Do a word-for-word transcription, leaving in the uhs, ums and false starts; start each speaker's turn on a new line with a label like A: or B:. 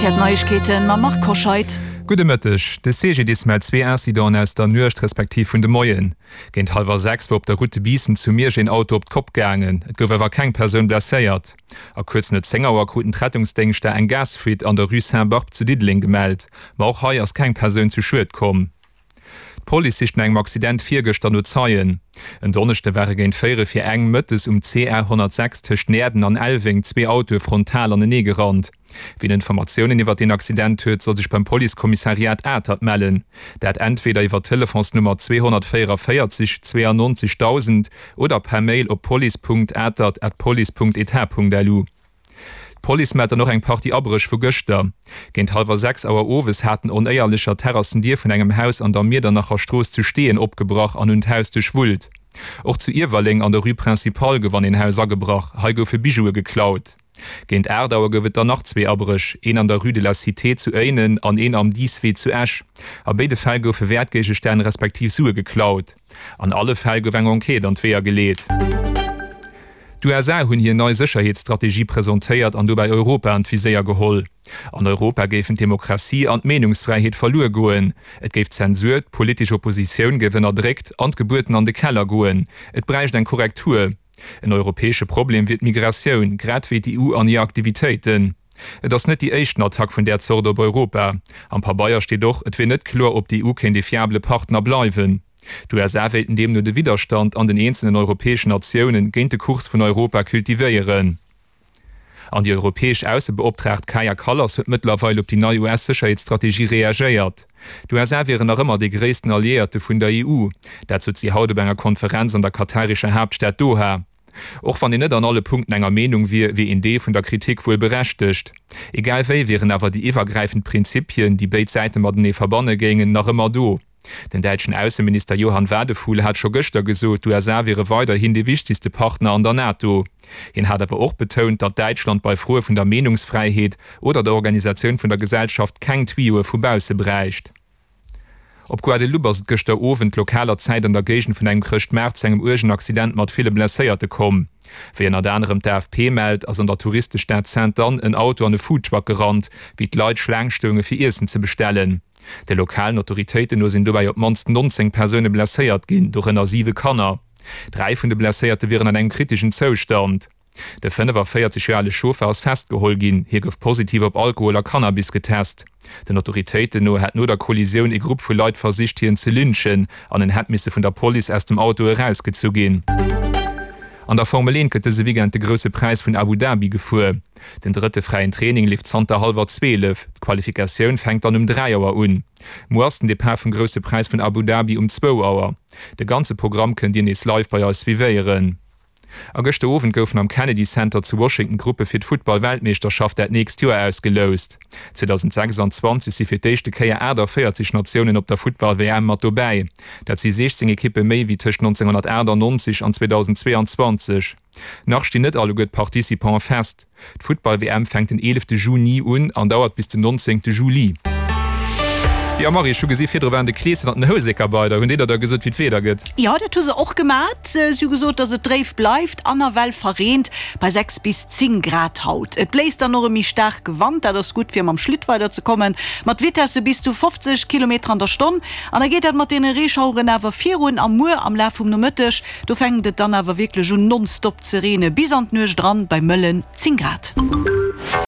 A: R T L Neiegkeeten mam Marc Hoscheid.
B: Gudde Mëtteg. De C G D I S mellt zwee Incidenten aus der Nuecht respektiv vun de Moien. Géint hallwer sechs war op der Route de Biissen zu Miersch een Auto op d'Kopp gaangen. Et gouf awer keng Persoun blesséiert. A kuerz no zéng Auer kruten d'Rettungsdéngschter eng Gasfuite an der Rue Saint-Barbe zu Diddeleng gemellt. Ma och hei ass keng Persoun zu Schued komm. D'Police sicht no engem Accident virgëschter no Zeien. En Donneschde ware géint véierel fir eng mëttes um C R honnertsechs tëscht Näerden an Elweng zwee Autoe frontal anenee gerannt. Wien Informatiounen iwwer deen Accident huet, soll sech beim Policekommissariat Atert mellen. Dat entweder iwwer d'Telefonsnummer zweehonnertvéierunvéierzeg zweiundneunzig dausend oder per Mail op police punkt atert at police punkt etat punkt lu. D'Police mellt dann och eng Partie Abréch vu gëschter. Géint hallwer sechs Auer owes haten Onéierlecher d'Terrassendier vun engem Haus an der Miedernacher Strooss zu Steeën opgebrach an hunn d'Haus duerchwullt. Och zu Iewerleng an der Rue Principale gouf an een Haus agebrach, hei goufe Bijoue geklaut. Géint aacht Auer gouf et dann nach zwee Abréch, een an der Rue de la Cité zu Éinen an een am Dieswee zu Esch. A béide Fäll goufe Wäertgéigestänn respektiv Sue geklaut. An alle Fäll gouf eng Enquête an d'Weeër geleet. D'U S A hunn hir nei Sécherheetsstrategie presentéiert an dobäi Europa an d'Viséier geholl. An Europa géifen d'Demokratie an d'Meenungsfräiheet verluer goen. Et géif Zensur, d'politesch Oppositioun géif ënnerdréckt an d'Gebuerten an de Keller goen. Et bräicht eng Korrektur. En europäesche Problem wier d'Migratioun, grad wéi d'E U an hir Aktivitéiten. Et ass net déi éischten Attack vun där Zort op Europa. Am Pabeier steet och, et wier net kloer, ob d'E U kéint e fiabele Partner bleiwen. D'U S A wéilten deemno de Widderstand an den eenzelen europäeschen Natioune géint de Kurs vun Europa kultivéieren. An déi europäesch Aussebeoptraagt Kaja Kallas huet mëttlerweil op déi nei U S-Sécherheetsstrategie reagéiert. D'U S A wieren nach ëmmer dee gréissten Alliéierte vun der E U. Dat sot si haut op enger Konferenz an der katarescher Haaptstad Doha. Och wann een net an alle Punkten enger Meenung wier, wier een Deel vun der Kritik wuel berechtegt. Egal wéi wieren awer déi iwwergräifend Prinzipien, déi béid Säite matenee verbanne géingen, nach ëmmer do. Den däitschen Ausseminister Johann Wadephul hat scho gëschter gesot, d'U S A wiere weiderhin dee wichtegste Partner an der NATO. Hien hat awer och betount, datt Däitschland bei Froe vun der Meenungsfräiheet oder der Organisatioun vun der Gesellschaft keng Tuyauë vu bausse bräicht. Op Guadeloupe ass et gëschter Owend lokaler Zäit an der Géigend vun engem Chrëschtmaart zu engem uergen Accident mat ville Blesséierte komm. Wéi ënnert anerem d'A F P mellt, ass an der Touristestad Sainte-Anne en Auto an e Foodtruck gerannt, wéi d'Leit Schlaang stounge fir Iessen ze bestellen. De lokalen Autoritéiten no sinn dobäi op d'mannst nonzéng Persoune blesséiert ginn, dorënner siwe Kanner. Dräi vun de Blesséierte wieren an engem kriteschen Zoustand. De fënnefaféierzeg Joer ale Chauffer ass festgeholl ginn, hie gouf positiv op Alkohol a Cannabis getest. Den Autoritéiten no hätt no der Kollisioun e Grupp vu Leit versicht hien ze lynchen an en hätt misse vun der Police aus dem Auto erausgezu ginn. An der Formel eent gëtt dëse Weekend de Grousse Präis vun Abu Dhabi gefuer. Den drëtte fräien Training leeft zanter hallwer zwielef. D'Qualifikatioun fänkt dann um dräi Auer un. Muer ass den Depart vum Grousse Präis vun Abu Dhabi um zwou Auer. De ganze Programm kënnt Dir nees live bei eis suivéieren. A gëschter Owend goufen am Kennedy Center zu Washington d'Gruppe fir d'Futtball-Weltmeeschterschaft dat nächst Joer ausgeloust. zweedausendsechsanzwanzeg si fir d'éischte Kéier aachtavéierzeg Natiounen op der Futtball-W M mat dobäi. Dat si siechzéng Ekippe méi wéi tëscht nonzénghonnertaachtannonzeg an zweedausendzweeanzwanzeg. Nach stinn net alleguer d'Participantë fest. D'Futtball-W M fänkt den eelefte Juni un an dauert bis den nonzéngte Juli. Jo Marie, ech hu gesi virdru waren de Kleeschen an den Houseker bei der. Hunn déi der da gesot wéi d'Wieder gëtt?
A: Jo, dat hu se och gemat. Si hu gesot, datt et dréif bleift an nawell verreent bei sechs bis zéng Grad haut. Et bléist dann och e méi staarke Wand, dat ass gutt fir mam Schlitt weider ze kommen, mat Vitesse bis zu fofzeg Kilometer an der Stonn. An da geet dat mat deene Reeschaueren awer virun a muer am Laf vum Nomëtteg, do fänkt et dann awer wierklech un nonstop ze reene bis an d'Nuecht eran bei mëllen zéng Grad.